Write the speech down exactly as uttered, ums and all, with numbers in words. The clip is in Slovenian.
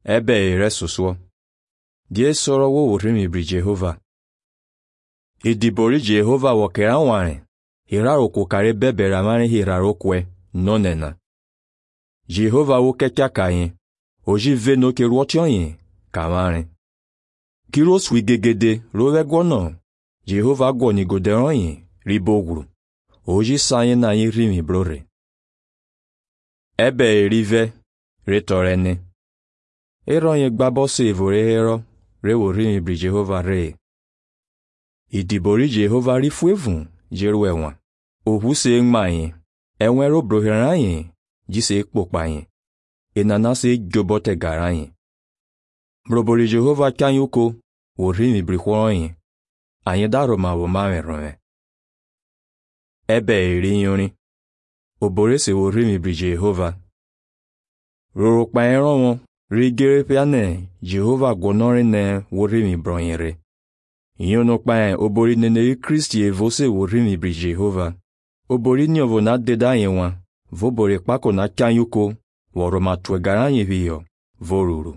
ebe ere suswo. Die soro wo urimi bri Jehova. Idibori Jehova wokera ware. Hiraro kukare bebera mane hiraro kwe nonena. Jehova wo kekya kayin. Oji veno ke ruotyon yin kamare. Kiro swi gegede rowe gwono. Jehova gwoni goderon yin riboguru. Oji sayin na yin rimi brore. Ebe erive retorene. Eron ye gbabo se evore hero rewo rimi bri Jehova re. Idibori Jehova rifuevun jeruwe wan. Ohu se ngma yin. Enwero broheran yin jise ekpokpa yin. Enana se jobote gara yin. Brobori Jehova kanyuko wo rimi bri hworon yin. Ayin daro ma wo ma ron. Ebe eri yoni. Obore se wo rimi bri Jehova. Roro pa eron won rigere piane Jehova gonore ne wo rimi bronyere. Yono pa obori nene Kristi evo se wo rimi bri Jehova. Obori ni ovo na deda yen wan. Vobore pako na kanyuko. Woroma tuegara yin viyo. Voruru.